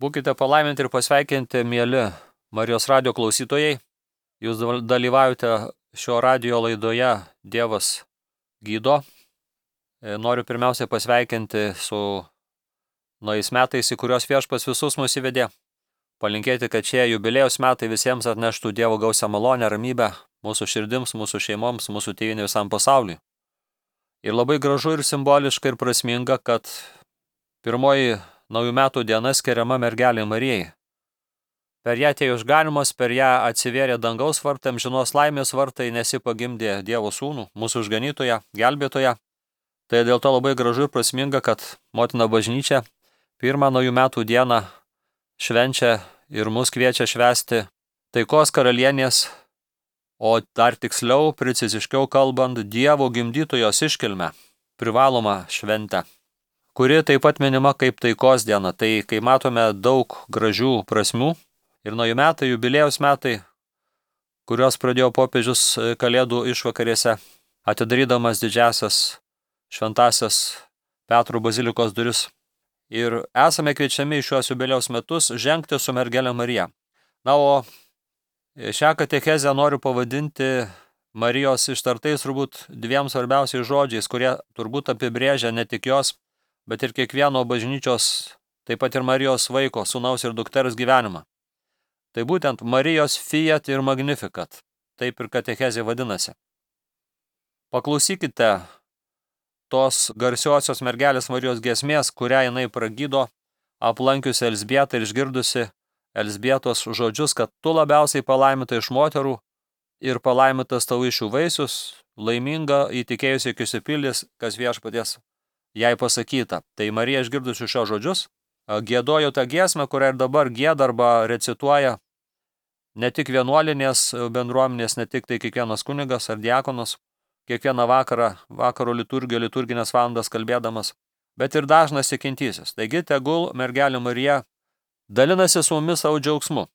Būkite palaiminti ir pasveikinti, mieli Marijos radijo klausytojai. Jūs dalyvaujate šio radijo laidoje Dievas gydo. Noriu pirmiausiai pasveikinti su naujais metais, į kuriuos Viešpats visus mus įvedė. Palinkėti, kad šie jubilėjos metai visiems atneštų Dievo gausią malonę, ramybę mūsų širdims, mūsų šeimoms, mūsų tėvynei visam pasauliui. Ir labai gražu ir simboliška ir prasminga, kad pirmoji naujų metų diena skiriama mergelei Marijai. Per ją atėjo išganymas, per ją atsivėrė dangaus vartai, amžinos laimės vartai, nes ji pagimdė Dievo sūnų, mūsų išganytoją, gelbėtoją. Tai dėl to labai gražu ir prasminga, kad motina bažnyčia pirmą naujų metų dieną švenčia ir mus kviečia švęsti taikos karalienės, o dar tiksliau, preciziškiau kalbant, Dievo gimdytojos iškilmę, privalomą šventę, kuri taip pat minima kaip taikos diena. Tai kai matome daug gražių prasmių ir naujų metai, jubilėjos metai, kurios pradėjo popiežius Kalėdų išvakarėse, atidarydamas didžiasias šventasias Petro bazilikos duris. Ir esame kviečiami į šios jubilėjaus metus žengti su mergelė Marija. Na, o šią katechezę noriu pavadinti Marijos ištartais turbūt dviem svarbiausiais žodžiais, kurie turbūt apibrėžia ne tik jos, bet ir kiekvieno bažnyčios, taip pat ir Marijos vaiko, sūnaus ir dukters gyvenimą. Tai būtent Marijos fiat ir magnificat, taip ir katechezė vadinasi. Paklausykite tos garsiosios mergelės Marijos giesmės, kurią jinai pragydo, aplankiusi Elzbietą ir išgirdusi Elzbietos žodžius, kad tu labiausiai palaiminta iš moterų ir palaimintas tavo iš jų vaisius, laiminga įtikėjusi iki išsipildys, kas Viešpaties jai pasakyta. Tai Marija išgirdusi šios žodžius, giedojo tą giesmę, kurią ir dabar gieda arba recituoja ne tik vienuolinės bendruomenės, ne tik tai kiekvienas kunigas ar diakonas, kiekvieną vakaro liturginės valandas kalbėdamas, bet ir dažnas tikintysis. Taigi tegul mergelė Marija dalinasi su mumis savo džiaugsmu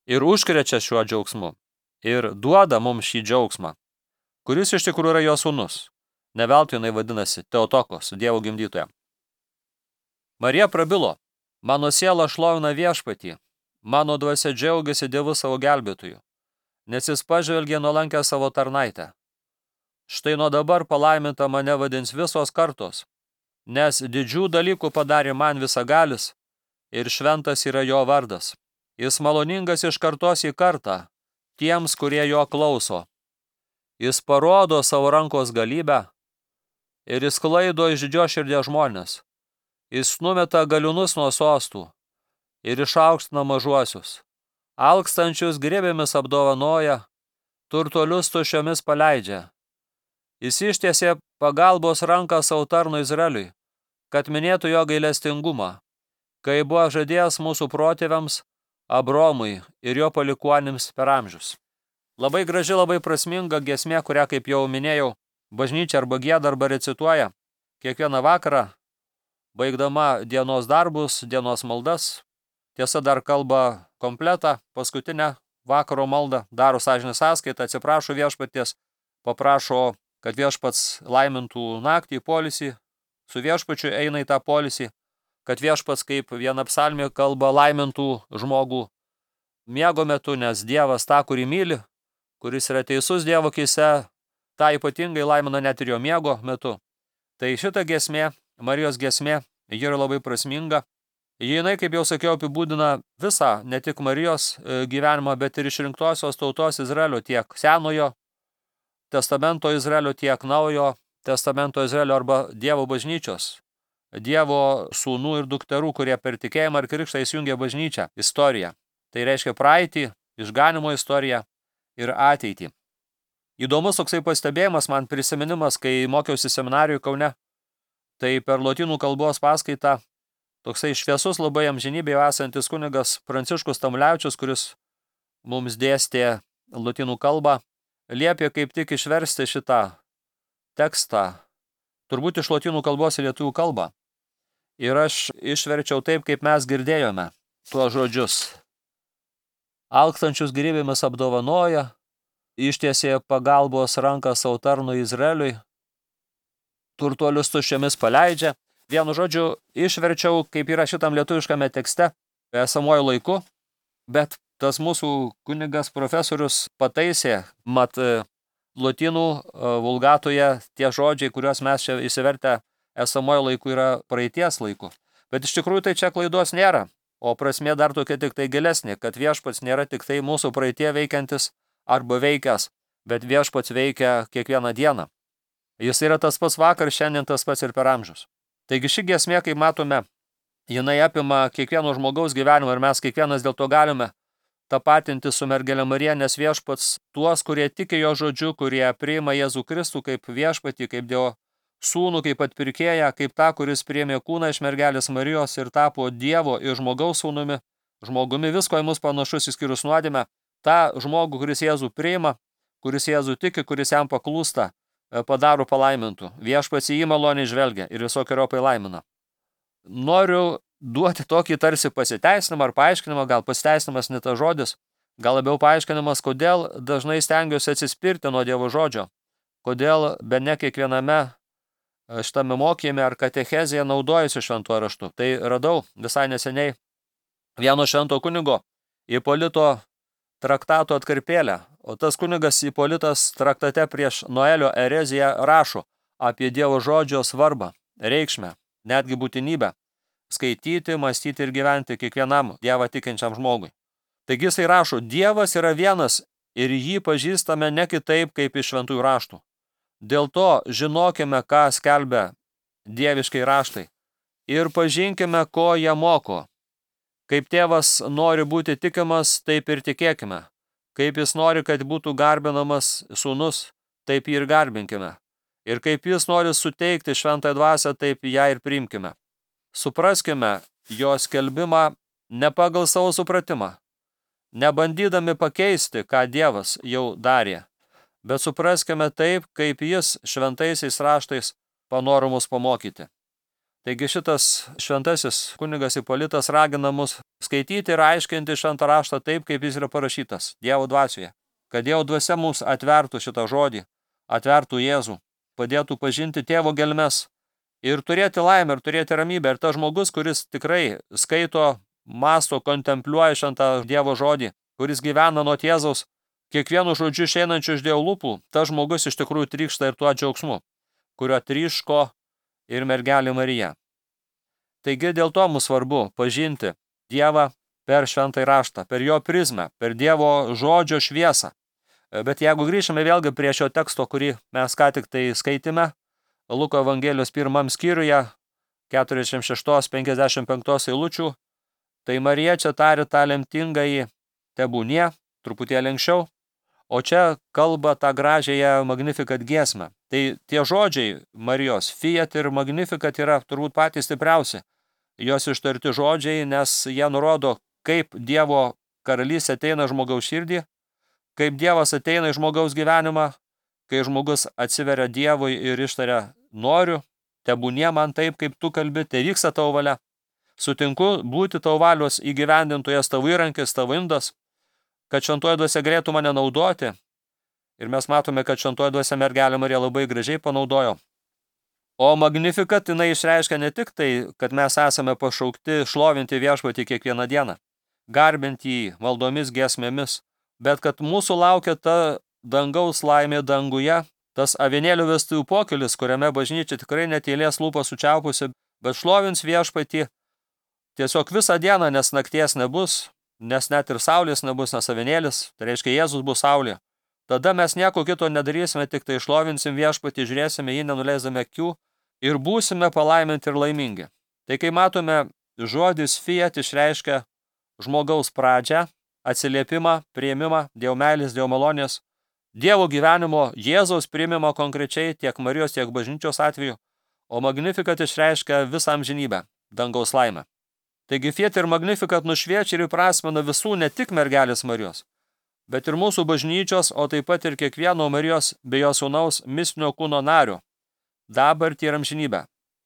ir užkrečia šiuo džiaugsmu ir duoda mums šį džiaugsmą, kuris iš tikrųjų yra jo sūnus. Ne veltui jinai vadinasi Teotokos, Dievo gimdytoja. Marija prabilo, mano siela šlovina Viešpatį, mano dvasia džiaugiasi Dievu savo gelbėtoju, nes jis pažvelgė nuolankę savo tarnaitę. Štai nuo dabar palaiminta mane vadins visos kartos, nes didžių dalykų padarė man visagalis ir šventas yra jo vardas. Jis maloningas iš kartos į kartą tiems, kurie jo klauso. Jis parodo savo rankos galybę ir jis klaido iš didžios širdies žmonės. Jis numeta galiūnus nuo sostų ir išaukština mažuosius. Alkstančius grėbėmis apdovanoja, turtuolius tuščiomis paleidžia. Jis ištiesė pagalbos ranką savo tarnui Izraeliui, kad minėtų jo gailestingumą, kai buvo žadėjęs mūsų protėviams Abromui ir jo palikuonims per amžius. Labai graži, labai prasminga giesmė, kurią, kaip jau minėjau, bažnyčia arba gieda arba recituoja kiekvieną vakarą, baigdama dienos darbus, dienos maldas. Tiesa, dar kalba kompletą, paskutinę vakaro maldą, daro sąžinės sąskaitą, atsiprašo Viešpaties, paprašo, kad Viešpats laimintų naktį, poilsį, su Viešpačiu eina į tą poilsį, kad Viešpats, kaip viena psalmė kalba, laimintų žmogų miego metu, nes Dievas tą, kurį myli, kuris yra teisus Dievo akyse, tą ypatingai laimina net ir jo miego metu. Tai šita giesmė, Marijos giesmė, ji yra labai prasminga. Jinai, kaip jau sakiau, apibūdina visą, ne tik Marijos gyvenimą, bet ir išrinktosios tautos Izraelio, tiek Senojo testamento Izraelio, tiek Naujojo testamento Izraelio arba Dievo bažnyčios, Dievo sūnų ir dukterų, kurie per tikėjimą ir krikštą įsijungia bažnyčią, istoriją. Tai reiškia praeitį, išganimo istoriją ir ateitį. Įdomus toksai pastebėjimas, man prisiminimas, kai mokiausi seminarijų Kaune, tai per lotynų kalbos paskaitą toksai šviesus labai amžinybėje esantis kunigas Pranciškus Tamulevičius, kuris mums dėstė lotynų kalbą, liepė kaip tik išversti šitą tekstą, turbūt iš lotynų kalbos į lietuvių kalbą. Ir aš išverčiau taip, kaip mes girdėjome tuos žodžius. Alkstančius gyvybėmis apdovanoja, ištiesė pagalbos ranką savo tarnui Izraeliui, turtuolius tuščiomis paleidžia. Vienu žodžiu, išverčiau, kaip yra šitam lietuviškame tekste, esamuoju laiku, bet tas mūsų kunigas profesorius pataisė, mat lotynų vulgatoje tie žodžiai, kuriuos mes čia įsivertę esamojo laiku yra praeities laiku. Bet iš tikrųjų tai čia klaidos nėra, o prasmė dar tokia tik tai gilesnė, kad viešpats nėra tik tai mūsų praeitie veikiantis arba veikęs, bet viešpats veikia kiekvieną dieną. Jis yra tas pats vakar, šiandien tas pats ir per amžius. Taigi ši giesmė, kaip matome, jinai apima kiekvieno žmogaus gyvenimą ir mes kiekvienas dėl to galime tapatinti su mergelė Marija, nes viešpats tuos, kurie tiki jo žodžiu, kurie priima Jėzų Kristų kaip viešpatį, kaip Dievo sūnų, kaip atpirkėją, kaip tą, kuris priėmė kūną iš mergelės Marijos ir tapo Dievo ir žmogaus sūnumi, žmogumi visko į mus panašus išskyrus nuodėmę, tą žmogų, kuris Jėzų priima, kuris Jėzų tiki, kuris jam paklūsta, padaro palaimintų. Viešpats į jį maloniai žvelgia ir visokiojopai laimina. Noriu duoti tokį tarsi pasiteisinimą ar paaiškinimą, gal pasiteisinimas ne tas žodis, gal labiau paaiškinimas, kodėl dažnai stengiuosi atsispirti nuo Dievo žodžio, kodėl be ne kiekviename šitame mokyme ar katechezėje naudojusi šventuoju raštu. Tai radau visai neseniai vieno švento kunigo Ipolito traktato atkarpėlę, o tas kunigas Ipolitas traktate prieš Noelio ereziją rašo apie Dievo žodžio svarbą, reikšmę, netgi būtinybę skaityti, mąstyti ir gyventi kiekvienam Dievą tikinčiam žmogui. Taigi jisai rašo, Dievas yra vienas ir jį pažįstame ne kitaip kaip iš šventųjų raštų. Dėl to žinokime, ką skelbia dieviškai raštai ir pažinkime, ko jie moko. Kaip tėvas nori būti tikimas, taip ir tikėkime. Kaip jis nori, kad būtų garbinamas sūnus, taip jį ir garbinkime. Ir kaip jis nori suteikti šventąją dvasią, taip ją ir priimkime. Supraskime jo skelbimą ne pagal savo supratimą, nebandydami pakeisti, ką Dievas jau darė, bet supraskime taip, kaip jis šventaisiais raštais panoro mus pamokyti. Taigi šitas šventasis kunigas Ipolitas ragina mus skaityti ir aiškinti šventą raštą taip, kaip jis yra parašytas Dievo dvasioje, kad Dievo dvasia mums atvertų šitą žodį, atvertų Jėzų, padėtų pažinti tėvo gelmes ir turėti laimę, ir turėti ramybę. Ir tas žmogus, kuris tikrai skaito, mąsto, kontempliuoja šventą Dievo žodį, kuris gyvena nuo Jėzaus, kiekvienu žodžiu išeinančiu iš Dievo lūpų, tas žmogus iš tikrųjų trykšta ir tuo džiaugsmu, kurio tryško ir mergelė Marija. Taigi dėl to mums svarbu pažinti Dievą per šventąjį raštą, per jo prizmę, per Dievo žodžio šviesą. Bet jeigu grįžime vėlgi prie šio teksto, kurį mes ką tik tai skaitėme, Luko Evangelijos 1 skyriuje, 46-55 eilučių, tai Marija čia tarė tą lemtingąjį tebūnie, truputėlį anksčiau, o čia kalba tą gražiąją Magnificat giesmę. Tai tie žodžiai Marijos, Fiat ir Magnificat yra turbūt patys stipriausi. Jos ištarti žodžiai, nes jie nurodo, kaip Dievo karalystė ateina žmogaus širdį, kaip Dievas ateina į žmogaus gyvenimą, kai žmogus atsiveria Dievui ir ištaria, noriu, tebūnie man taip, kaip tu kalbi, tai vyksta tavo valia. Sutinku būti tavo valios įgyvendintojas, tavo įrankis, tavo indas, kad šventoji dvasia galėtų mane naudoti. Ir mes matome, kad šventoji dvasia mergelė Marija labai gražiai panaudojo. O Magnificat jinai išreiškia ne tik tai, kad mes esame pašaukti šlovinti viešpatį kiekvieną dieną, garbinti jį maldomis giesmėmis, bet kad mūsų laukia ta dangaus laimė danguje, tas avinėlių vestuvių pokylis, kuriame bažnyčia tikrai netylės lūpas sučiaupusi, bet šlovins viešpatį tiesiog visą dieną, nes nakties nebus, nes net ir saulės nebus, nes avinėlis, tai reiškia Jėzus bus saulė. Tada mes nieko kito nedarysime, tik tai šlovinsim viešpatį, žiūrėsime jį nenuleisdami akių ir būsime palaiminti ir laimingi. Tai kai matome, žodis Fiat išreiškia žmogaus pradžią, atsiliepimą, priėmimą, Dievo meilės, Dievo malonės, Dievo gyvenimo, Jėzaus priėmimo konkrečiai tiek Marijos, tiek bažnyčios atveju, o Magnificat išreiškia visą amžinybę, dangaus laimę. Taigi Fiat ir Magnificat nušviečia ir įprasmina visų ne tik mergelės Marijos, bet ir mūsų bažnyčios, o taip pat ir kiekvieno Marijos bei jo sūnaus mistinio kūno nario, dabartį ir amžinybę.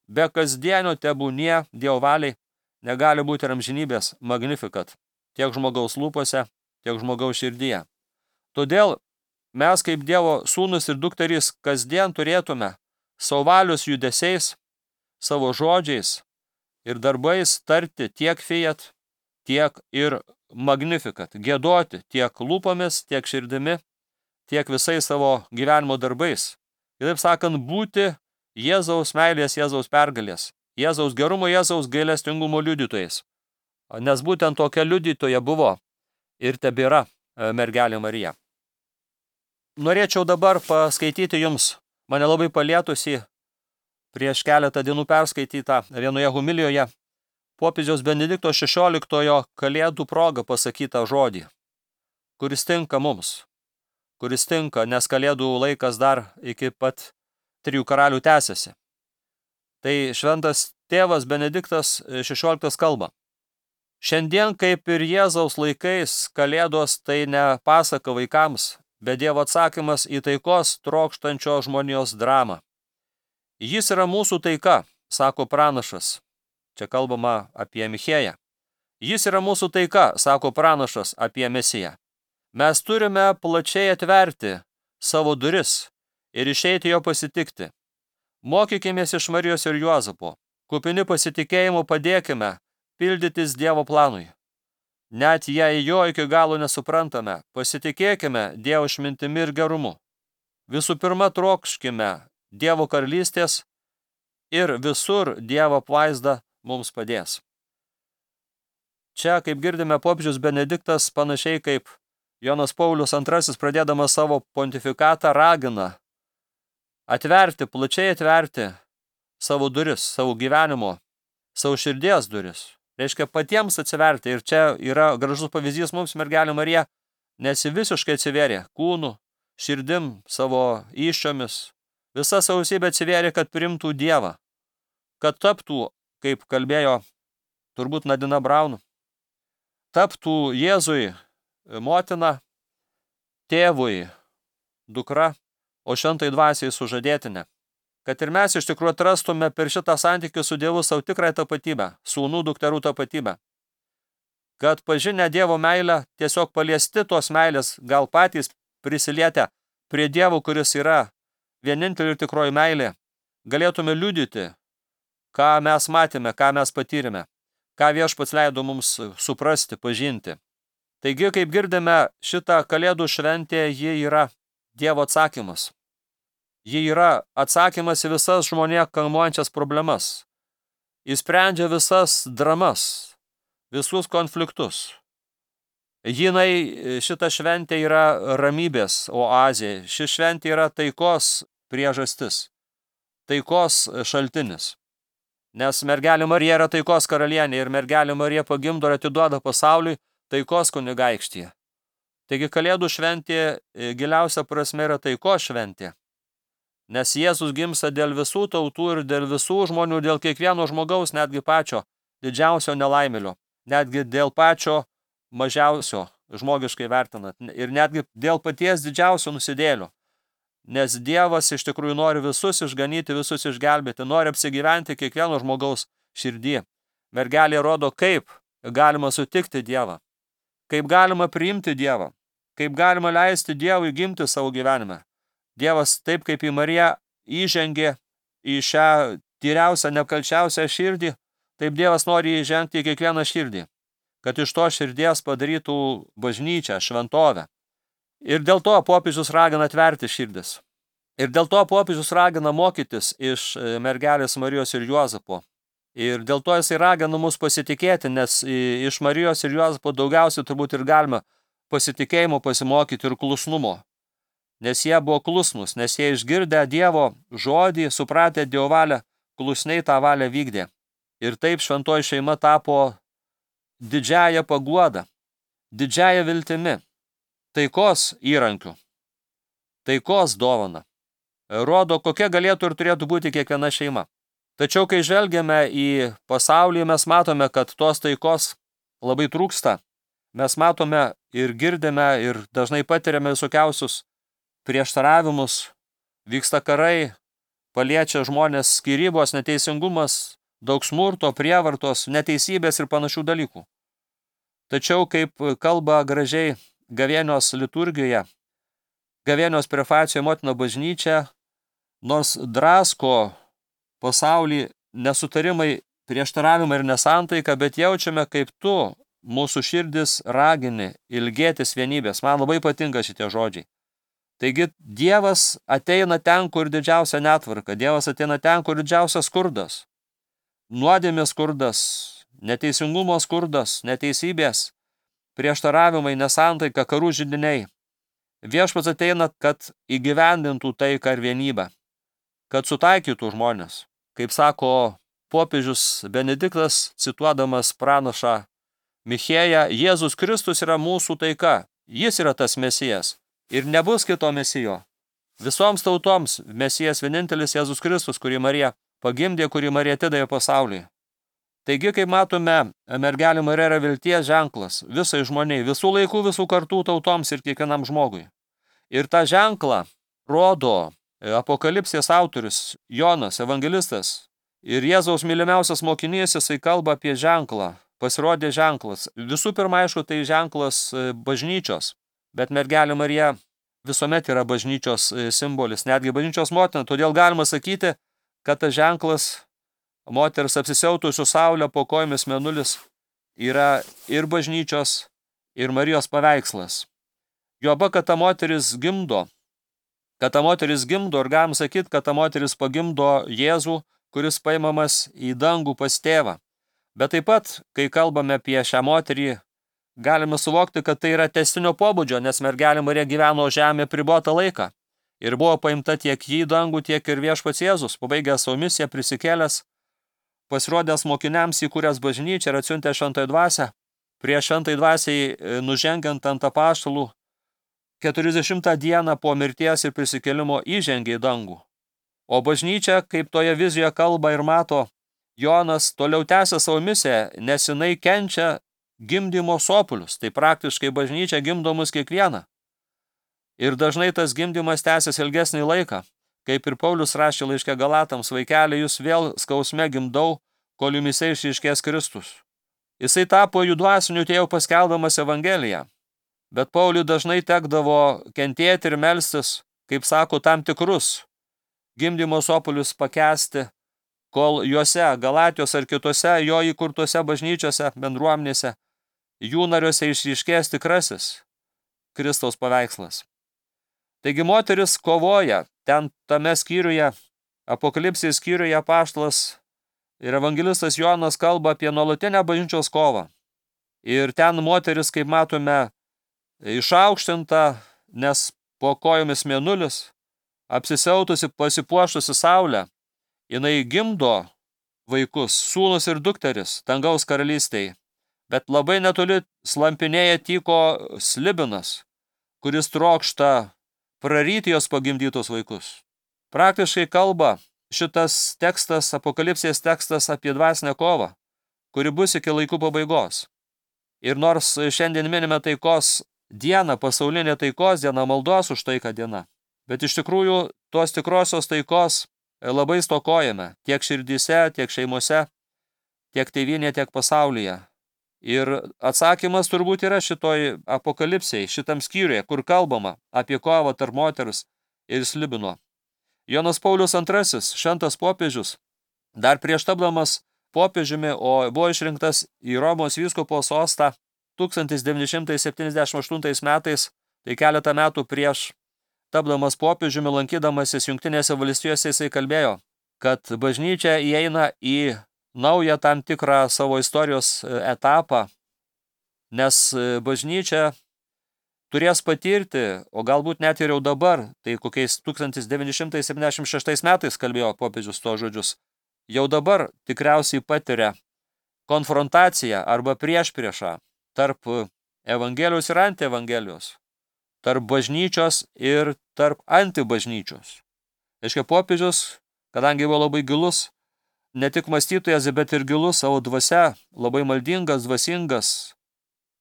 Be kasdienio tebūnie Dievo valiai negali būti ir amžinybės Magnificat, tiek žmogaus lūpose, tiek žmogaus širdyje. Todėl mes kaip Dievo sūnus ir dukterys kasdien turėtume savo valios judesiais, savo žodžiais ir darbais tarti tiek Fiat, tiek ir Magnificat, giedoti tiek lūpomis, tiek širdimi, tiek visais savo gyvenimo darbais. Kitaip sakant, būti Jėzaus meilės, Jėzaus pergalės, Jėzaus gerumo, Jėzaus gailestingumo liudytojais. Nes būtent tokia liudytoja buvo ir tebėra mergelė Marija. Norėčiau dabar paskaityti jums mane labai palietusi prieš keletą dienų perskaitytą vienoje homilijoje popiežiaus Benedikto XVI kalėdų proga pasakytą žodį, kuris tinka mums, kuris tinka, nes kalėdų laikas dar iki pat 3 karalių tęsiasi. Tai šventas tėvas Benediktas XVI kalba. Šiandien, kaip ir Jėzaus laikais, kalėdos tai ne pasaka vaikams, bet Dievo atsakymas į taikos trokštančio žmonijos dramą. Jis yra mūsų taika, sako pranašas. Čia kalbama apie Michėją. Jis yra mūsų taika, sako pranašas apie Mesiją. Mes turime plačiai atverti savo duris ir išeiti jo pasitikti. Mokykimės iš Marijos ir Juozapo. Kupini pasitikėjimo padėkime pildytis Dievo planui. Net jei jo iki galo nesuprantame, pasitikėkime Dievo išmintimi ir gerumu. Visų pirma, trokškime Dievo karalystės ir visur Dievo apvaizda mums padės. Čia, kaip girdime, popiežius Benediktas panašiai kaip Jonas Paulius II pradėdamas savo pontifikatą ragina atverti, plačiai atverti savo duris, savo gyvenimo, savo širdies duris. Reiškia patiems atsiverti. Ir čia yra gražus pavyzdys mums mergelė Marija, nes ji visiškai atsivėrė kūnu, širdim, savo įsčiomis. Visa sausybė atsivėrė, kad priimtų Dievą, kad taptų, kaip kalbėjo turbūt Nadina Braun, taptų Jėzui motina, tėvui dukra, o šventai dvasiai sužadėtinė. Kad ir mes iš tikrųjų atrastume per šitą santykį su Dievu savo tikrąją tapatybę, sūnų dukterų tapatybę. Kad pažinę Dievo meilę, tiesiog paliesti tos meilės, gal patys prisilietę prie Dievo, kuris yra vienintelė ir tikroji meilė, galėtume liudyti, ką mes matėme, ką mes patyrėme, ką Viešpats leido mums suprasti, pažinti. Taigi, kaip girdime, šitą kalėdų šventė, ji yra Dievo atsakymas. Ji yra atsakymas į visas žmonėje kamuojančias problemas. Jis sprendžia visas dramas, visus konfliktus. Šita šventė yra ramybės oazė. Ši šventė yra taikos priežastis, taikos šaltinis. Nes mergelė Marija yra taikos karalienė ir mergelė Marija pagimdo ir atiduoda pasauliui taikos kunigaikštyje. Taigi kalėdų šventė giliausia prasme yra taikos šventė. Nes Jėzus gimsta dėl visų tautų ir dėl visų žmonių, dėl kiekvieno žmogaus, netgi pačio didžiausio nelaimėlio, netgi dėl pačio mažiausio, žmogiškai vertinant, ir netgi dėl paties didžiausio nusidėlio. Nes Dievas iš tikrųjų nori visus išganyti, visus išgelbėti, nori apsigyventi kiekvieno žmogaus širdį. Mergelė rodo, kaip galima sutikti Dievą, kaip galima priimti Dievą, kaip galima leisti Dievui gimti savo gyvenime. Dievas taip kaip į Mariją įžengė į šią tyriausią, neapkalčiausią širdį, taip Dievas nori įžengti į kiekvieną širdį, kad iš to širdies padarytų bažnyčią, šventovę. Ir dėl to popiežius ragina atverti širdis. Ir dėl to popiežius ragina mokytis iš mergelės Marijos ir Juozapo. Ir dėl to jisai ragina mus pasitikėti, nes iš Marijos ir Juozapo daugiausiai turbūt ir galima pasitikėjimo pasimokyti ir klusnumo. Nes jie buvo klusnus, nes jie išgirdę Dievo žodį, supratę Dievo valią, klusniai tą valią vykdė. Ir taip šventoji šeima tapo didžiąją paguodą, didžiąją viltimi, taikos įrankiu, taikos dovana. Rodo, kokia galėtų ir turėtų būti kiekviena šeima. Tačiau, kai žvelgiame į pasaulį, mes matome, kad tos taikos labai trūksta. Mes matome ir girdime ir dažnai patiriame visokiausius prieštaravimus, vyksta karai, paliečia žmonės skyrybos, neteisingumas, daug smurto, prievartos, neteisybės ir panašių dalykų. Tačiau, kaip kalba gražiai gavėnios liturgijoje, gavėnios prefacijoje motina bažnyčia, nors drasko pasaulį nesutarimai, prieštaravimai ir nesantaika, bet jaučiame, kaip tu, mūsų širdis ragini ilgėtis vienybės. Man labai patinka šitie žodžiai. Taigi Dievas ateina ten, kur didžiausia netvarka. Dievas ateina ten, kur didžiausias skurdas. Nuodėmės skurdas, neteisingumo skurdas, neteisybės, prieštaravimai, nesantaika, karų židiniai. Viešpats ateina, kad įgyvendintų taiką ir vienybę, kad sutaikytų žmonės. Kaip sako popiežius Benediktas, cituodamas pranašą Michėją, Jėzus Kristus yra mūsų taika, jis yra tas Mesijas ir nebus kito Mesijo. Visoms tautoms Mesijas vienintelis Jėzus Kristus, kurį Marija pagimdė, kurį Marija atidavė pasauliui. Taigi, kaip matome, mergelė Marija yra vilties ženklas visai žmoniai, visų laikų, visų kartų tautoms ir kiekvienam žmogui. Ir tą ženklą rodo Apokalipsės autorius Jonas, evangelistas. Ir Jėzaus mylimiausias mokinys, jisai kalba apie ženklą, pasirodė ženklas. Visų pirma, aišku, tai ženklas bažnyčios, bet mergelė Marija visuomet yra bažnyčios simbolis, netgi bažnyčios motina. Todėl galima sakyti, kad tas ženklas moters apsisiautusių saulę po kojomis mėnulis yra ir bažnyčios, ir Marijos paveikslas. Juoba, kad ta moteris gimdo, ir galim sakyti, kad ta moteris pagimdo Jėzų, kuris paimamas į dangų pas tėvą. Bet taip pat, kai kalbame apie šią moterį, galime suvokti, kad tai yra tęstinio pobūdžio, nes mergelė Marija gyveno žemė pribotą laiką ir buvo paimta tiek jį dangų, tiek ir viešpats Jėzus, pabaigęs savo misiją, prisikėlęs, pasirodęs mokiniams, įkūręs bažnyčią ir atsiuntė šventąją dvasią. Prieš šventąją dvasiai nužengiant ant apaštalų 40 dieną po mirties ir prisikėlimo įžengė į dangų. O bažnyčia, kaip toje vizijoje kalba ir mato Jonas, toliau tęsia savo misiją, nes jinai kenčia gimdymo sopulius. Tai praktiškai bažnyčia gimdo mus kiekvieną. Ir dažnai tas gimdymas tęsiasi ilgesnį laiką. Kaip ir Paulius rašė laiške Galatams, vaikeli, jūs vėl skausme gimdau, kol jumyse išryškės Kristus. Jisai tapo jų dvasiniu tėvu paskelbdamas Evangeliją. Bet Pauliui dažnai tekdavo kentėti ir melstis, kaip sako, tam tikrus gimdymo sopulius pakęsti, kol juose, Galatijos ar kitose jo įkurtose bažnyčiose, bendruomenėse, jų nariuose išryškės tikrasis Kristaus paveikslas. Taigi moteris kovoja, ten tame skyriuje, Apokalipsės skyriuje apaštalas ir evangelistas Jonas kalba apie nuolatinę bažnyčios kovą. Ir ten moteris, kaip matome, išaukštinta, nes po kojomis mėnulis, apsisiautusi, pasipuošusi saulę, jinai gimdo vaikus, sūnus ir dukteris, dangaus karalystėje. Bet labai netoli slampinėja tyko slibinas, kuris trokšta praryti jos pagimdytus vaikus. Praktiškai kalba šitas tekstas, Apokalipsės tekstas apie dvasinę kovą, kuri bus iki laikų pabaigos. Ir nors šiandien minime taikos dieną, pasaulinė taikos diena, maldos už taiką diena, bet iš tikrųjų tos tikrosios taikos labai stokojame tiek širdyse, tiek šeimose, tiek tėvynėje, tiek pasaulyje. Ir atsakymas turbūt yra šitoj Apokalipsėje, šitam skyriuje, kur kalbama apie kovą tarp moters ir slibino. Jonas Paulius II, šventas popiežius, dar prieš tapdamas popiežiumi, o buvo išrinktas į Romos vyskupo sostą 1978 metais, tai keletą metų prieš tapdamas popiežiumi, lankydamasis Jungtinėse valstijose, jisai kalbėjo, kad bažnyčia įeina į naują tam tikrą savo istorijos etapą, nes bažnyčia turės patirti, o galbūt net ir jau dabar, tai kokiais 1976 metais kalbėjo popiežius to žodžius, jau dabar tikriausiai patiria konfrontaciją arba priešpriešą tarp evangelijos ir antievangelijos, tarp bažnyčios ir tarp antibažnyčios. Reiškia, popiežius, kadangi buvo labai gilus, ne tik mąstytojas, bet ir gilus savo dvasia, labai maldingas, dvasingas,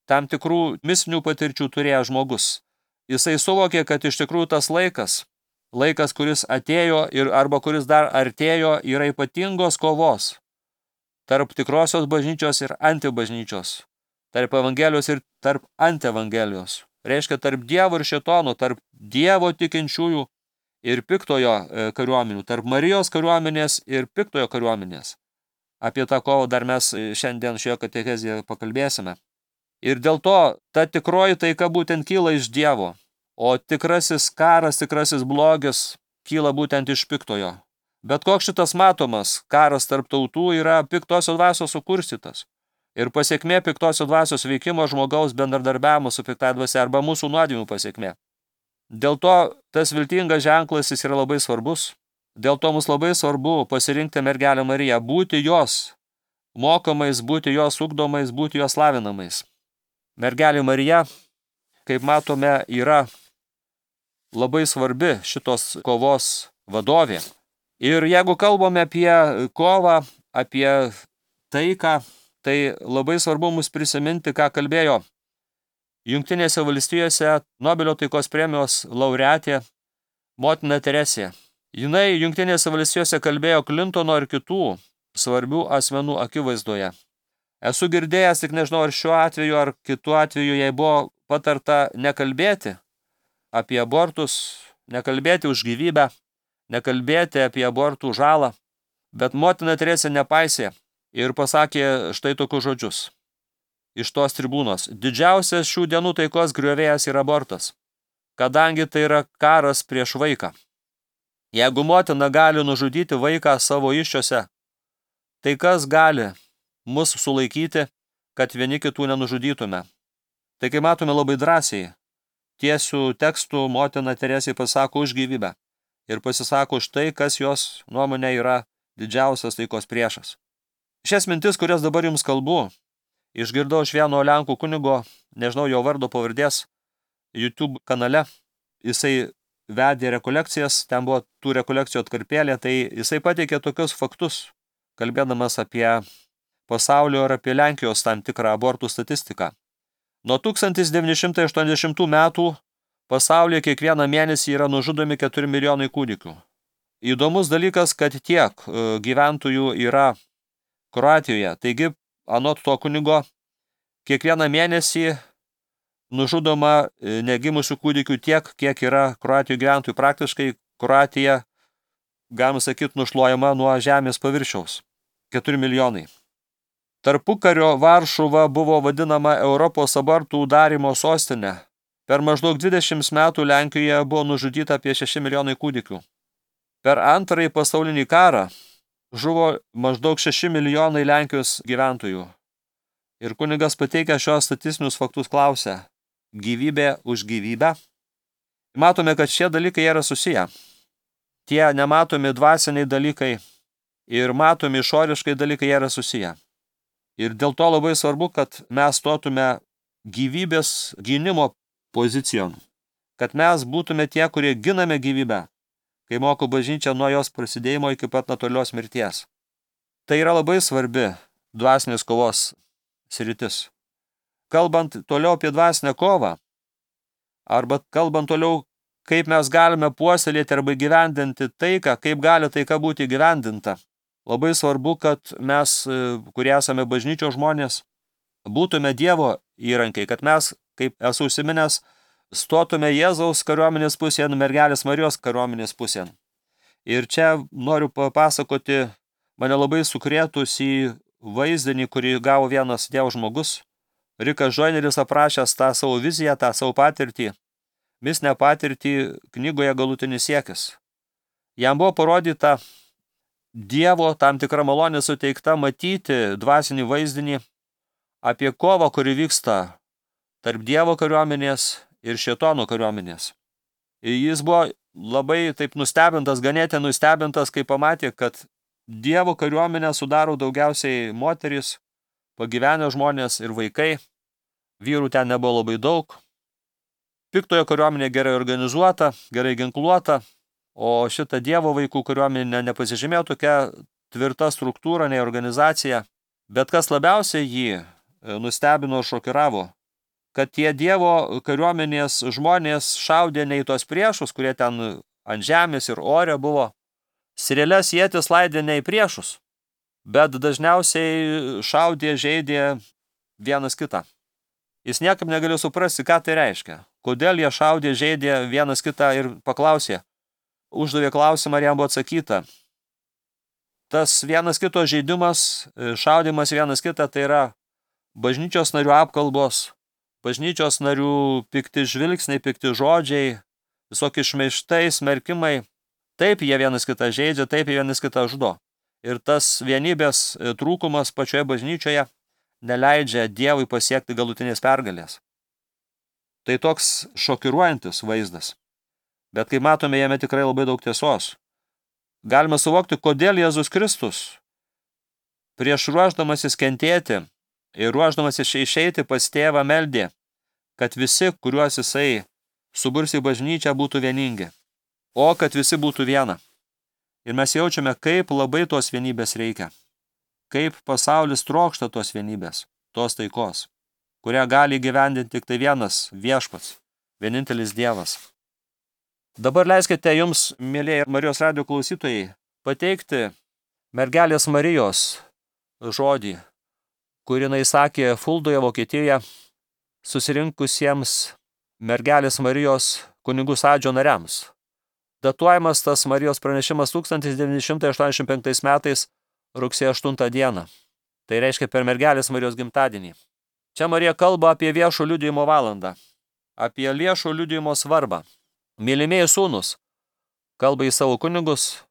tam tikrų mistinių patirčių turėjo žmogus. Jisai suvokė, kad iš tikrųjų tas laikas, kuris atėjo ir arba kuris dar artėjo, yra ypatingos kovos tarp tikrosios bažnyčios ir antibažnyčios, tarp evangelijos ir tarp antievangelijos. Reiškia, tarp Dievo ir šėtono, tarp Dievo tikinčiųjų ir piktojo kariuomenių, tarp Marijos kariuomenės ir piktojo kariuomenės. Apie tą kovą dar mes šiandien šioje katechezijoje pakalbėsime. Ir dėl to ta tikroji taika būtent kyla iš Dievo, o tikrasis karas, tikrasis blogis kyla būtent iš piktojo. Bet koks šitas matomas karas tarp tautų yra piktosios dvasios sukurstytas. Ir pasiekmė piktosios dvasios veikimo žmogaus bendradarbiavimo su piktai dvasia arba mūsų nuodėmių pasiekmė. Dėl to tas viltingas ženklas jis yra labai svarbus. Dėl to mums labai svarbu pasirinkti mergelę Mariją, būti jos mokomais, būti jos ugdomais, būti jos lavinamais. Mergelė Marija, kaip matome, yra labai svarbi šitos kovos vadovė. Ir jeigu kalbame apie kovą, apie taiką, tai labai svarbu mums prisiminti, ką kalbėjo Jungtinėse valstijose Nobelio taikos premijos laureatė motina Teresė. Jinai Jungtinėse valstijose kalbėjo Klintono ir kitų svarbių asmenų akivaizdoje. Esu girdėjęs, tik nežinau, ar šiuo atveju, ar kitu atveju jai buvo patarta nekalbėti apie abortus, nekalbėti už gyvybę, nekalbėti apie abortų žalą, bet motina Teresė nepaisė ir pasakė štai tokius žodžius iš tos tribūnos. Didžiausias šių dienų taikos griovėjas yra abortas, kadangi tai yra karas prieš vaiką. Jeigu motina gali nužudyti vaiką savo įsčiose, tai kas gali mus sulaikyti, kad vieni kitų nenužudytume? Tai kai matome labai drąsiai, tiesių tekstų motina Teresė pasako už gyvybę ir pasisako už tai, kas jos nuomonė yra didžiausias taikos priešas. Šias mintis, kurias dabar jums kalbu, išgirdau iš vieno lenkų kunigo, nežinau jo vardo pavardės, YouTube kanale. Jisai vedė rekolekcijas, ten buvo tų rekolekcijų atkarpėlė, tai jisai pateikė tokius faktus, kalbėdamas apie pasaulio ir apie Lenkijos tam tikrą abortų statistiką. Nuo 1980 metų pasaulyje kiekvieną mėnesį yra nužudomi 4 milijonai kūdikių. Įdomus dalykas, kad tiek gyventojų yra Kroatijoje. Taigi, anot to kunigo, kiekvieną mėnesį nužudoma negimusių kūdikių tiek, kiek yra Kroatijos gyventojų. Praktiškai Kroatija, galima sakyti, nušluojama nuo žemės paviršiaus. 4 milijonai. Tarpukario Varšuva buvo vadinama Europos abortų darymo sostinė. Per maždaug 20 metų Lenkijoje buvo nužudyta apie 6 milijonai kūdikių. Per antrąjį pasaulinį karą žuvo maždaug 6 milijonai Lenkijos gyventojų. Ir kunigas pateikia šios statistinius faktus klausia: gyvybė už gyvybę? Matome, kad šie dalykai yra susiję. Tie nematomi dvasiniai dalykai ir matomi išoriškai dalykai yra susiję. Ir dėl to labai svarbu, kad mes stotume gyvybės gynimo pozicijon. Kad mes būtume tie, kurie giname gyvybę, kai moko bažnyčia nuo jos prasidėjimo iki pat natūralios mirties. Tai yra labai svarbi dvasinės kovos sritis. Kalbant toliau apie dvasinę kovą, arba kalbant toliau, kaip mes galime puoselėti arba gyvendinti taiką, kaip gali taika būti gyvendinta. Labai svarbu, kad mes, kurie esame bažnyčios žmonės, būtume Dievo įrankiai, kad mes, kaip esu užsiminęs, stotume Jėzaus kariuomenės pusėn, mergelės Marijos kariuomenės pusėn. Ir čia noriu papasakoti mane labai sukrėtusį vaizdinį, kurį gavo vienas Dievo žmogus. Rikas Joyneris aprašęs tą savo viziją, tą savo patirtį, mistinę patirtį knygoje Galutinis siekis. Jam buvo parodyta Dievo tam tikra malonė suteikta matyti dvasinį vaizdinį apie kovą, kuri vyksta tarp Dievo kariuomenės ir šėtono kariuomenės. Jis buvo labai taip nustebintas, ganėtinai nustebintas, kai pamatė, kad Dievo kariuomenę sudaro daugiausiai moterys, pagyvenę žmonės ir vaikai. Vyrų ten nebuvo labai daug. Piktojo kariuomenė gerai organizuota, gerai ginkluota, o šita Dievo vaikų kariuomenė nepasižymėjo tokia tvirta struktūra, nei organizacija. Bet kas labiausiai jį nustebino ir šokiravo, kad tie Dievo kariuomenės žmonės šaudė ne į tos priešus, kurie ten ant žemės ir ore buvo. Strėles ietis laidė ne į priešus, bet dažniausiai šaudė, žeidė vienas kitą. Jis niekam negalėjo suprasti, ką tai reiškia. Kodėl jie šaudė, žeidė vienas kitą ir paklausė. Uždavė klausimą, ar jam buvo atsakyta. Tas vienas kito žaidimas, šaudimas vienas kitą, tai yra bažnyčios narių apkalbos, bažnyčios narių pikti žvilgsniai, pikti žodžiai, visokie šmeižtai, smerkimai. Taip jie vienas kitą žeidžia, taip jie vienas kitą žudo. Ir tas vienybės trūkumas pačioje bažnyčioje neleidžia Dievui pasiekti galutinės pergalės. Tai toks šokiruojantis vaizdas. Bet kaip matome, jame tikrai labai daug tiesos. Galime suvokti, kodėl Jėzus Kristus prieš ruošdamasis kentėti ir ruošdamasis išeiti pas tėvą meldė, kad visi, kuriuos jisai suburs į bažnyčią, būtų vieningi, o kad visi būtų viena. Ir mes jaučiame, kaip labai tos vienybės reikia, kaip pasaulis trokšta tos vienybės, tos taikos, kurią gali įgyvendinti tik tai vienas Viešpats, vienintelis Dievas. Dabar leiskite jums, mėlėjai Marijos radijo klausytojai, pateikti mergelės Marijos žodį, kurį jinai sakė Fuldoje, Vokietijoje, susirinkusiems mergelės Marijos kunigų sąjūdžio nariams. Datuojamas tas Marijos pranešimas 1985 metais rugsėjo 8 dieną. Tai reiškia per mergelės Marijos gimtadienį. Čia Marija kalba apie viešo liudijimo valandą, apie viešo liudijimo svarbą. Mylimieji sūnus kalba į savo kunigus,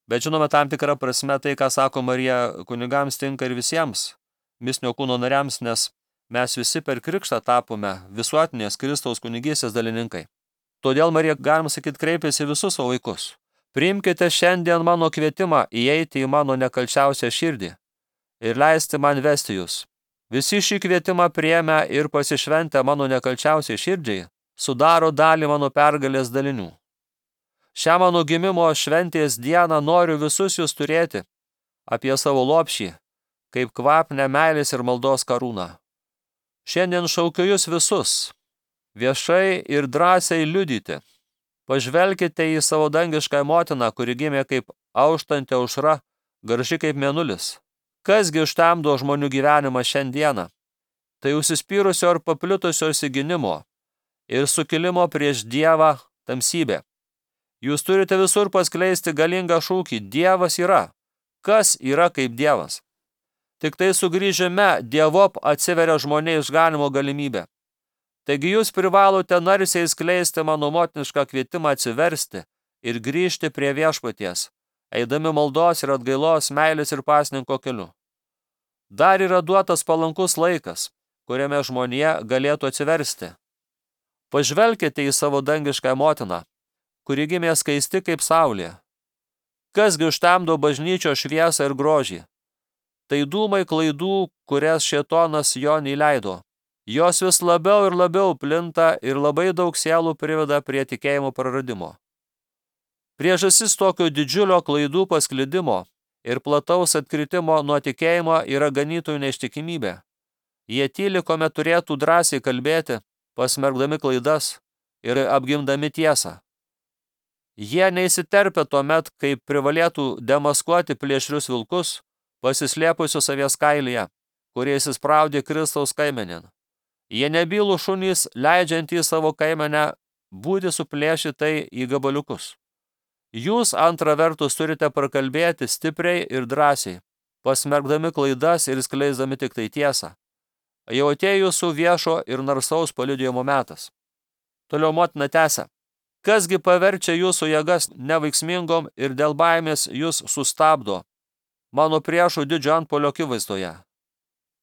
bet žinome tam tikrą prasme tai, ką sako Marija kunigams, tinka ir visiems mistinio kūno nariams, nes mes visi per krikštą tapome visuotinės Kristaus kunigystės dalininkai. Todėl Marija, galima sakyti, kreipėsi visus savo vaikus. Priimkite šiandien mano kvietimą įeiti į mano nekalčiausią širdį ir leisti man vesti jūs. Visi šį kvietimą priėmę ir pasišventę mano nekalčiausiai širdžiai sudaro dalį mano pergalės dalinių. Šią mano gimimo šventės dieną noriu visus jūs turėti apie savo lopšį, kaip kvapnę meilės ir maldos karūną. Šiandien šaukiu jūs visus, viešai ir drąsiai liudyti. Pažvelkite į savo dangišką motiną, kuri gimė kaip auštanti aušra, graži kaip mėnulis. Kasgi užtemdo žmonių gyvenimą šiandieną? Tai užsispyrusio ir paplitusio įsiginimo ir sukilimo prieš Dievą tamsybė. Jūs turite visur paskleisti galingą šūkį: Dievas yra. Kas yra kaip Dievas? Tik tai sugrįžime Dievop atsiveria žmonės išganimo galimybė. Taigi jūs privalote narsiai skleisti mano motinišką kvietimą atsiversti ir grįžti prie Viešpaties, eidami maldos ir atgailos, meilės ir pasninko keliu. Dar yra duotas palankus laikas, kuriame žmonija galėtų atsiversti. Pažvelkite į savo dangišką motiną, kuri gimė skaisti kaip saulė. Kasgi užtemdo bažnyčio šviesą ir grožį? Tai dūmai klaidų, kurias šėtonas jo neįleido. Jos vis labiau ir labiau plinta ir labai daug sielų priveda prie tikėjimo praradimo. Priežastis tokio didžiulio klaidų pasklidimo ir plataus atkritimo nuo tikėjimo yra ganytojų neištikimybė. Jie tyli, kuomet turėtų drąsiai kalbėti, pasmerkdami klaidas ir apgimdami tiesą. Jie neįsiterpia tuomet, kai privalėtų demaskuoti plėšrius vilkus, pasislėpusius savies kailyje, kurie įsispraudė Kristaus kaimenėn. Jie nebylų šunys, leidžiantys savo kaimenę būti suplėšytai į gabaliukus. Jūs antra vertus turite prakalbėti stipriai ir drąsiai, pasmerkdami klaidas ir skleisdami tik tai tiesą. Jau atėjo jūsų viešo ir narsaus paliudijimo metas. Toliau motina tęsia. Kasgi paverčia jūsų jėgas neveiksmingom ir dėl baimės jūs sustabdo mano priešų didžio antpuolio akivaizdoje?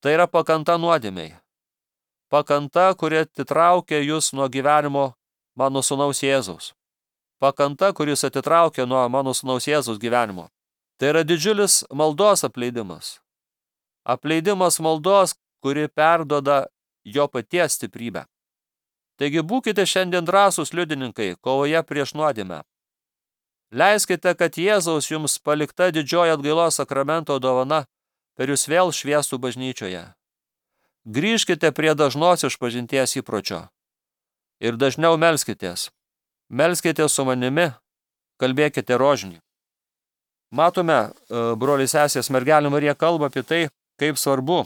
Tai yra pakanta nuodėmei. Pakanta, kuri atitraukia jūs nuo gyvenimo mano sūnaus Jėzaus. Pakanta, kuris atitraukia nuo mano sūnaus Jėzaus gyvenimo. Tai yra didžiulis maldos apleidimas. Apleidimas maldos, kuri perduoda jo paties stiprybę. Taigi būkite šiandien drąsūs liudininkai kovoje prieš nuodėmę. Leiskite, kad Jėzaus jums palikta didžioji atgailos sakramento dovana per jūs vėl šviestų bažnyčioje. Grįžkite prie dažnos išpažinties įpročio ir dažniau melskitės. Melskitės su manimi, kalbėkite rožinį. Matome, broliai sesės, mergelė Marija kalba apie tai, kaip svarbu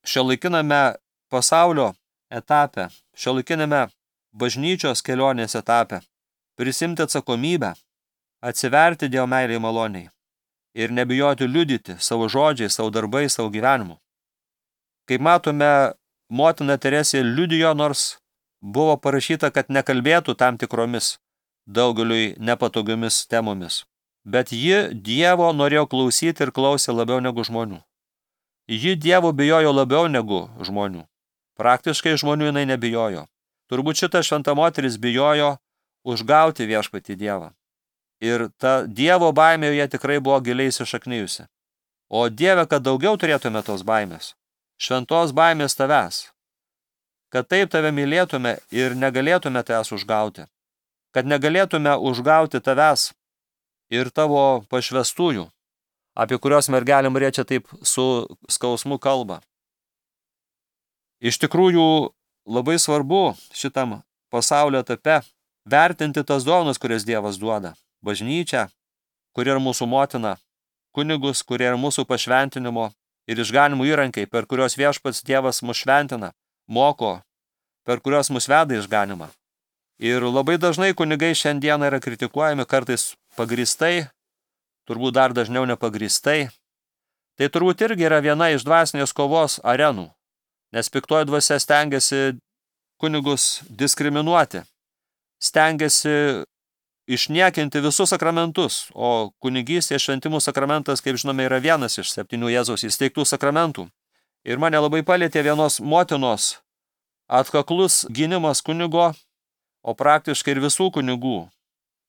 šiuolaikiname pasaulio etape, šiuolaikiname bažnyčios kelionės etape prisimti atsakomybę, atsiverti Dievo meilei maloniai ir nebijoti liudyti savo žodžiais, savo darbais, savo gyvenimu. Kaip matome, motina Teresė liudijo, nors buvo parašyta, kad nekalbėtų tam tikromis daugeliui nepatogiomis temomis. Bet ji Dievo norėjo klausyti ir klausė labiau negu žmonių. Ji Dievo bijojo labiau negu žmonių. Praktiškai žmonių jinai nebijojo. Turbūt šita šventa moteris bijojo užgauti viešpatį Dievą. Ir ta Dievo baimė joje tikrai buvo giliai įsišaknijusi. O Dieve, kad daugiau turėtume tos baimės. Šventos baimės tavęs. Kad taip tave mylėtume ir negalėtume tavęs užgauti. Kad negalėtume užgauti tavęs ir tavo pašvestųjų, apie kurios mergelė Marija čia taip su skausmu kalba. Iš tikrųjų, labai svarbu šitam pasaulio etape vertinti tas dovanas, kurias Dievas duoda. Bažnyčią, kuri yra mūsų motina, kunigus, kurie yra mūsų pašventinimo ir išganimų įrankiai, per kurios viešpats Dievas mus šventina, moko, per kurios mus veda išganimą. Ir labai dažnai kunigai šiandieną yra kritikuojami, kartais pagrįstai, turbūt dar dažniau nepagristai. Tai turbūt irgi yra viena iš dvasinės kovos arenų, nes piktoji dvasia stengiasi kunigus diskriminuoti, stengiasi išniekinti visus sakramentus, o kunigystės šventimų sakramentas, kaip žinome, yra vienas iš 7 Jėzaus įsteigtų sakramentų. Ir mane labai palietė vienos motinos atkaklus gynimas kunigo, o praktiškai ir visų kunigų,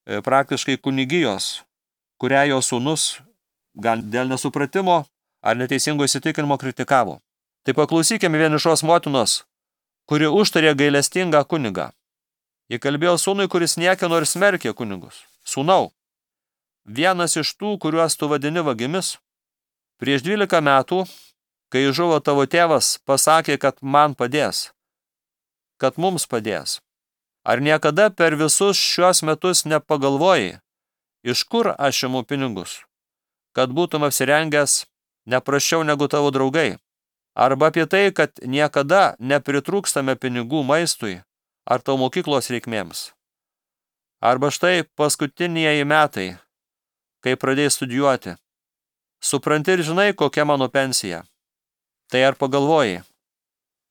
praktiškai kunigijos, kurią jo sūnus gal dėl nesupratimo ar neteisingo įsitikinimo kritikavo. Tai paklausykime vienišos motinos, kuri užtarė gailestingą kunigą. Ji kalbėjo sūnui, kuris niekino ir smerkė kunigus. Sūnau, vienas iš tų, kuriuos tu vadini vagimis, prieš 12 metų, kai žuvo tavo tėvas, pasakė, kad man padės, kad mums padės. Ar niekada per visus šios metus nepagalvojai, iš kur aš imu pinigus, kad būtum apsirengęs neprasčiau negu tavo draugai? Arba apie tai, kad niekada nepritrūkstame pinigų maistui ar tavo mokyklos reikmėms? Arba štai paskutinieji metai, kai pradėjai studijuoti. Supranti ir žinai, kokia mano pensija. Tai ar pagalvojai,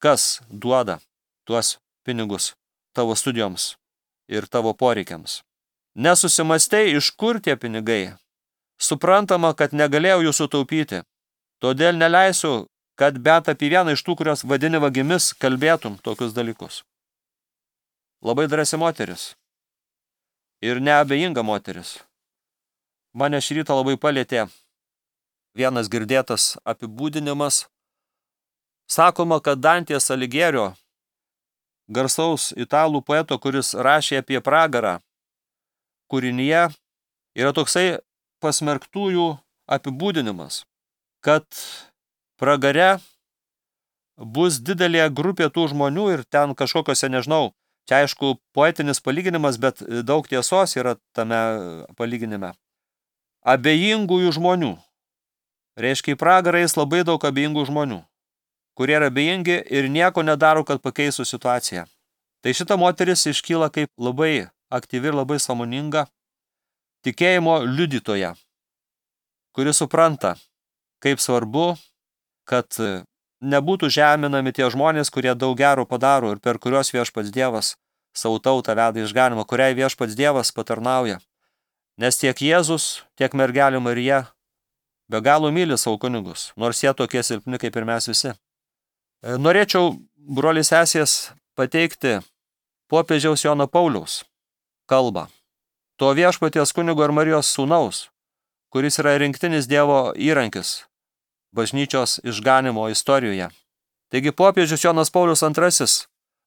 kas duoda tuos pinigus tavo studijoms ir tavo poreikiams? Nesusimastei, iš kur tie pinigai? Suprantama, kad negalėjau jų sutaupyti. Todėl neleisiu, kad bet apie vieną iš tų, kurios vadini vagimis, kalbėtum tokius dalykus. Labai drąsi moteris. Ir neabejinga moteris. Mane šį rytą labai palietė vienas girdėtas apibūdinimas. Sakoma, kad Dantės Aligjerio, garsaus italų poeto, kuris rašė apie pragarą, kūrinyje yra toksai pasmerktųjų apibūdinimas, kad pragare bus didelė grupė tų žmonių ir ten kažkokiose, nežinau, čia aišku poetinis palyginimas, bet daug tiesos yra tame palyginime. Abejingųjų žmonių. Reiškia, į pragarą eis labai daug abejingų žmonių, kurie yra abejingi ir nieko nedaro, kad pakeistų situaciją. Tai šita moteris iškyla kaip labai aktyvi ir labai sąmoninga tikėjimo liudytoja, kuri supranta, kaip svarbu, kad nebūtų žeminami tie žmonės, kurie daug gero padaro ir per kurios viešpats Dievas savo tautą veda išganimą, kuriai viešpats Dievas patarnauja. Nes tiek Jėzus, tiek mergelė Marija be galo myli savo kunigus, nors jie tokie silpni kaip ir mes visi. Norėčiau, broliai sesės, pateikti popiežiaus Jono Pauliaus kalbą. To viešpaties kunigo ir Marijos sūnaus, kuris yra rinktinis Dievo įrankis bažnyčios išganimo istorijoje. Taigi popiežius Jonas Paulius II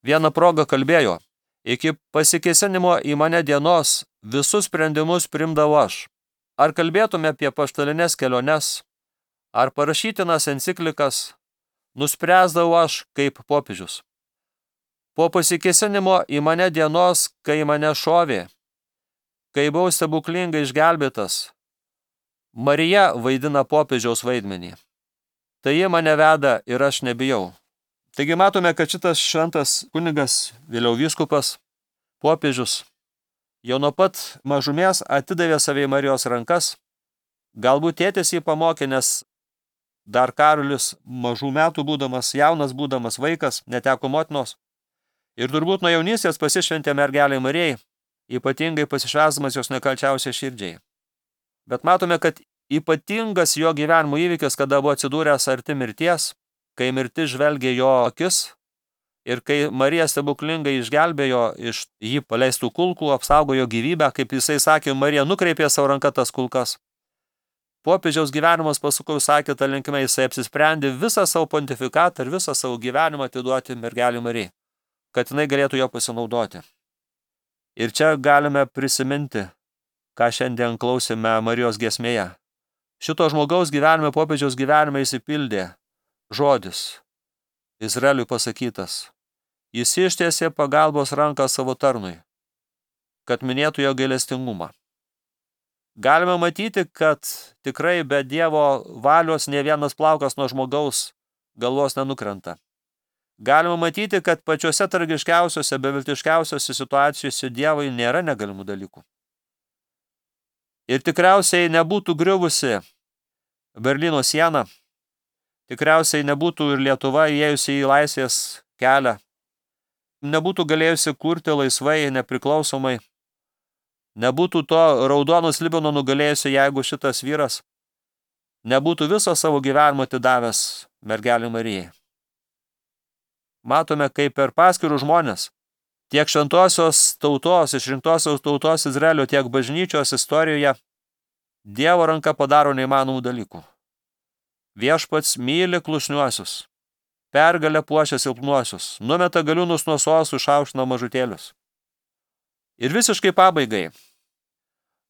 vieną progą kalbėjo: iki pasikėsinimo į mane dienos visus sprendimus priimdavau aš. Ar kalbėtume apie apaštalines keliones, ar parašytinas enciklikas, nuspręsdavau aš kaip popiežius. Po pasikėsinimo į mane dienos, kai mane šovė, kai buvau stebuklingai išgelbėtas, Marija vaidina popiežiaus vaidmenį. Tai ji mane veda ir aš nebijau. Taigi matome, kad šitas šventas kunigas, vėliau vyskupas, popiežius, jau nuo pat mažumės atidavė save į Marijos rankas. Galbūt tėtis jį pamokė, nes dar Karolis mažų metų būdamas, jaunas būdamas vaikas, neteko motinos. Ir turbūt nuo jaunystės pasišventė mergelei Marijai, ypatingai pasišvęsdamas jos nekalčiausiai širdžiai. Bet matome, kad ypatingas jo gyvenimo įvykis, kada buvo atsidūręs arti mirties, kai mirtis žvelgė jo akis ir kai Marija stebuklingai išgelbėjo iš jį paleistų kulkų, apsaugojo gyvybę, kaip jisai sakė, Marija nukreipė savo ranką tas kulkas. Popiežiaus gyvenimas pasukau, sakė, ta linkme, jisai apsisprendė visą savo pontifikatą ir visą savo gyvenimą atiduoti mergelei Marijai, kad jinai galėtų jo pasinaudoti. Ir čia galime prisiminti, ką šiandien klausėme Marijos giesmėje. Šito žmogaus gyvenime, popiežiaus gyvenime įsipildė žodis, Izraeliui pasakytas. Jis ištiesė pagalbos ranką savo tarnui, kad minėtų jo gailestingumą. Galime matyti, kad tikrai be Dievo valios ne vienas plaukas nuo žmogaus galvos nenukrenta. Galima matyti, kad pačiuose tragiškiausiuose, beviltiškiausiuose situacijose Dievui nėra negalimų dalykų. Ir tikriausiai nebūtų griuvusi Berlyno siena, tikriausiai nebūtų ir Lietuva įėjusi į laisvės kelią, nebūtų galėjusi kurti laisvai, nepriklausomai, nebūtų to raudono slibino nugalėjusio, jeigu šitas vyras nebūtų viso savo gyvenimo atidavęs mergelei Marijai. Matome, kaip per paskirų žmonės, tiek šventosios tautos, išrinktosios tautos Izraelio, tiek bažnyčios istorijoje Dievo ranka padaro neįmanomų dalykų. Viešpats myli klusniuosius, pergalę puošia silpnuosius, numeta galiūnus nuo sostų, išaukština mažutėlius. Ir visiškai pabaigai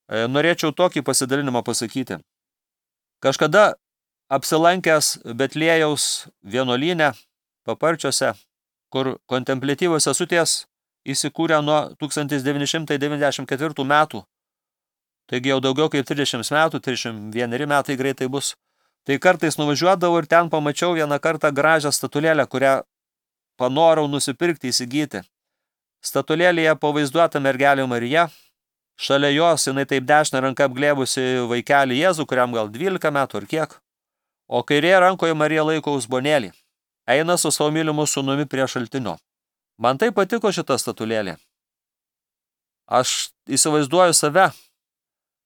norėčiau tokį pasidalinimą pasakyti. Kažkada apsilankęs Betliejaus vienuolyne Paparčiuose, kur kontempliatyvios sesutės įsikūrė nuo 1994 metų, taigi jau daugiau kaip 30 metų, 31 metai greitai bus, tai kartais nuvažiuodavau ir ten pamačiau vieną kartą gražią statulėlę, kurią panorau nusipirkti, įsigyti. Statulėlėje pavaizduota mergelė Marija, šalia jos jinai taip dešinę ranką apglėbusi vaikelį Jėzų, kuriam gal 12 metų ar kiek, o kairėje rankoje Marija laiko uzbonėlį, eina su savo mylimu sūnumi prie šaltinio. Man tai patiko šita statulėlė. Aš įsivaizduoju save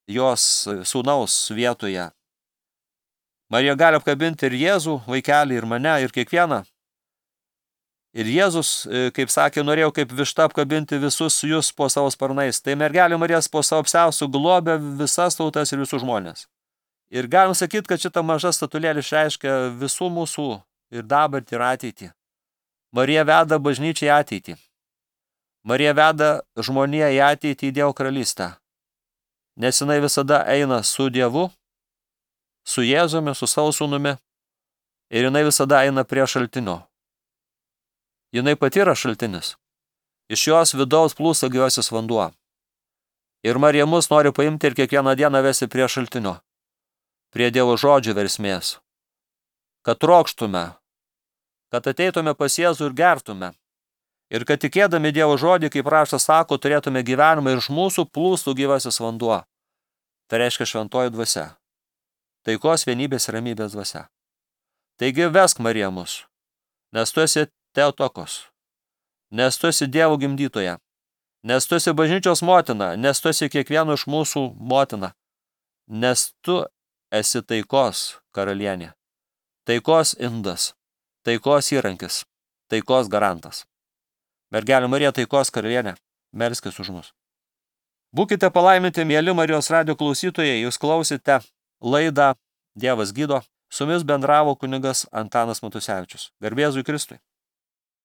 jos sūnaus vietoje. Marija gali apkabinti ir Jėzų, vaikelį, ir mane, ir kiekvieną. Ir Jėzus, kaip sakė, norėjau kaip višta apkabinti visus jūs po savo sparnais. Tai mergelė Marijas po savo apsiaustų globė visas tautas ir visus žmonės. Ir galim sakyti, kad šita maža statulėlė išreiškia visų mūsų ir dabartį ir ateitį. Marija veda bažnyčią į ateitį. Marija veda žmoniją į ateitį, į Dievo karalystę. Nes jinai visada eina su Dievu, su Jėzumi, su savo sūnumi. Ir jinai visada eina prie šaltinio. Jinai pati yra šaltinis. Iš jos vidaus plūsta gyvasis vanduo. Ir Marija mus nori paimti ir kiekvieną dieną vesti prie šaltinio, prie Dievo žodžių versmės. Kad trokštume, kad ateitume pas Jėzų ir gertume. Ir kad tikėdami Dievo žodį, kaip raštas sako, turėtume gyvenimą ir iš mūsų plūstų gyvasis vanduo. Tai reiškia šventoji dvasia. Taikos, vienybės ir ramybės dvasia. Taigi vesk Marija mus, nes tu esi Teotokos, nes tu esi Dievo gimdytoja, nes tu esi bažnyčios motina, nes tu esi kiekvieno iš mūsų motina, nes tu esi taikos karalienė, taikos indas, taikos įrankis, taikos garantas. Mergelė Marija, taikos karalienė, melskis už mus. Būkite palaiminti, mieli Marijos radijo klausytojai, jūs klausite laidą Dievas gydo, su jumis bendravo kunigas Antanas Matusevičius. Garbė Jėzui Kristui.